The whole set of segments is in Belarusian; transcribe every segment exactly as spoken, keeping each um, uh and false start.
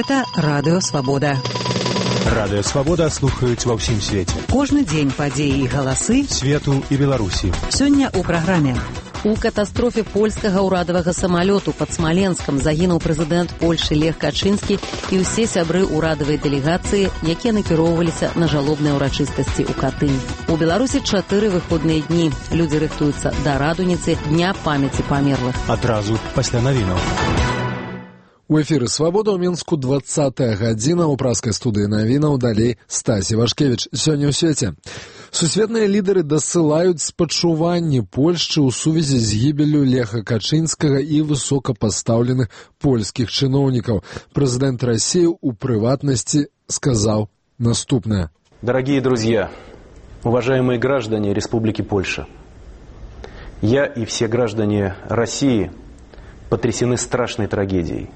Гэта Радыё Свабода. Радыё Свабода слухаюць ва ўсім свеце. Кожны дзень падзеі і галасы свету і Беларусі. Сёння ў праграме. У катастрофе польскага ўрадавага самалёту пад Смаленскам загінуў прэзідэнт Польшы Лех Качынскі і ўсе сябры ўрадавай дэлегацыі, якія накіроўваліся на жалобныя ўрачыстасці ў Катынь. У Беларусі чатыры выходныя дні. Людзі рыхтуюцца да радуніцы Дня памяці памерлых. Адразу пасля навінаў. У эфіры «Свабода» ў Мінску двадцатая гадзіна. У праскай студыі навінаў далей Стасі Вашкевіч. Сёння ў свеце. Сусветныя лідары дасылаюць спачуванні Польшчы ў сувязі з гібеллю Леха Качынскага і высокапастаўленых польскіх чыноўнікаў. Прэзідэнт России у прыватнасці сказаў наступнае. Дорогие друзья, уважаемые граждане Республики Польша, я и все граждане России потрясены страшной трагедией.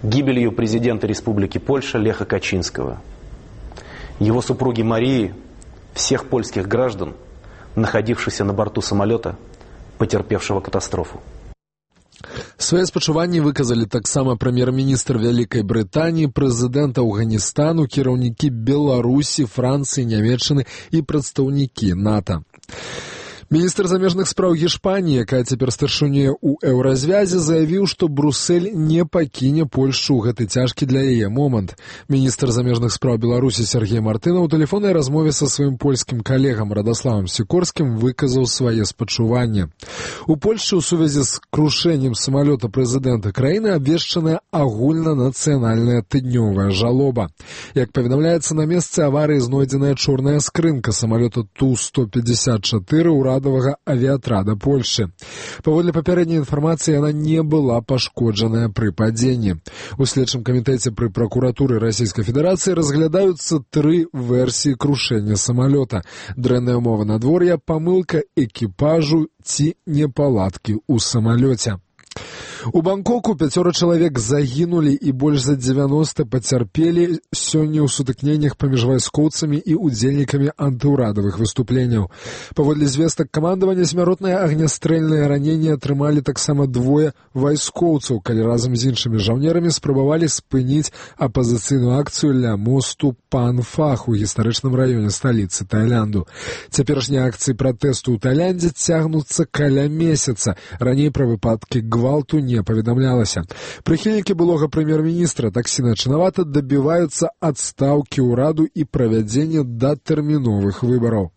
Гибелью президента Республики Польша Леха Качинского, его супруги Марии, всех польских граждан, находившихся на борту самолета, потерпевшего катастрофу. Свае спачуванні выказалі таксама прэм'ер-міністр Вялікай Брытаніі, прэзідэнт Афганістану, кіраўнікі Беларусі, Францыі, Нямецчыны і прадстаўнікі НАТО. Міністр замежных спраў Гішпаніі, якая цяпер старшынюе ў еўразвязе, заявіў, што Брюссель не пакіне Польшчу ў гэты цяжкі для яе момант. Міністр замежных спраў Беларусі Сергей Мартынаў у тэлефоннай размове са сваім польскім калегам Радаславам Сікорскім выказаў свае спачуванні. У Польшчы ў сувязі з крушэннем самалёта прэзідэнта краіны абвешчаная агульнанацыянальная тыднёвая жалоба. Як паведамляецца, на месцы аварыі знойдзеная чорная скрынка самалёта Ту сто пятьдесят четыре ўрада авіатрада Польши. Паводле папярэдняй інфармацыі, яна не была пашкоджаная пры падзенні. У следчым камітэце пры пракуратуры Расійскай Федэрацыі разглядаюцца тры версіі крушэння самалёта. Дрэнная ўмова надвор'я, памылка экіпажу ці непаладкі ў самалёце. У Бангкоку пяцёра чалавек загінулі і больш за дзевяноста пацярпелі сёння ў сутыкненнях паміж вайскоўцамі і удзельнікамі антыўрадавых выступленняў. Паводле звестак камандавання, смяротнае агнястрэльнае раненне атрымалі таксама двое вайскоўцаў, калі разам з іншымі жаўнерамі спрабавалі спыніць апазіцыйную акцыю ля мосту Пан-Фах у гістарычным раёне сталіцы Таілянду. Цяперашнія акцыі пратэсту ў Таіландзе цягнуцца каля месяца. Раней пра выпадкі гвалту не паведамлялася. Прыхільнікі былога прэм'ер-міністра таксі начынавата дабіваюцца адстаўкі ўраду і правядзення датэрміновых выбараў.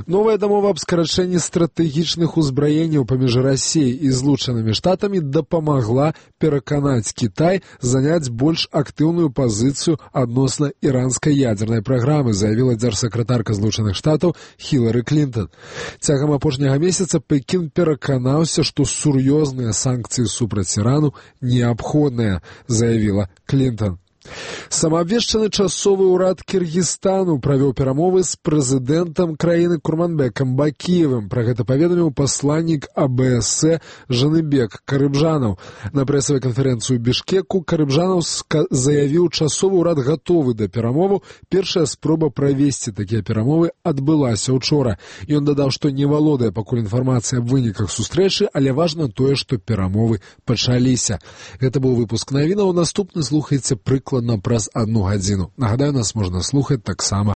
Новая дамова аб скарачэнні стратэгічных узбраенняў паміж Расіяй і Злучанымі Штатамі дапамагла пераканаць Кітай заняць больш актыўную пазіцыю адносна іранскай ядзернай праграмы, заявіла дзяржсакратарка Злучаных Штатаў Хілары Клінтон. Цягам апошняга месяца Пекін пераканаўся, што сур'ёзныя санкцыі супраць Ірану неабходныя, заявіла Клінтон. Самаабвешчаны часовы ўрад Кіргізстану правёў перамовы з прэзідэнтам краіны Курманбекам Бакіевым. Пра гэта паведаміў пасланнік А Бэ Эс Э Жаныбек Карыбжанаў. На прэсавай канферэнцыі ў Бішкеку Карыбжанаў заявіў, часовы ўрад гатовы да перамоваў. Першая спроба правесці такія перамовы адбылася учора. Ён дадаў, што не валодае пакуль інфармацыяй аб выніках сустрэчы, але важна тое, што перамовы пачаліся. Гэта быў выпуск навінаў. Наступны слухайце прыкладна праз одну гадзіну. Нагадаю, нас можна слухаць таксама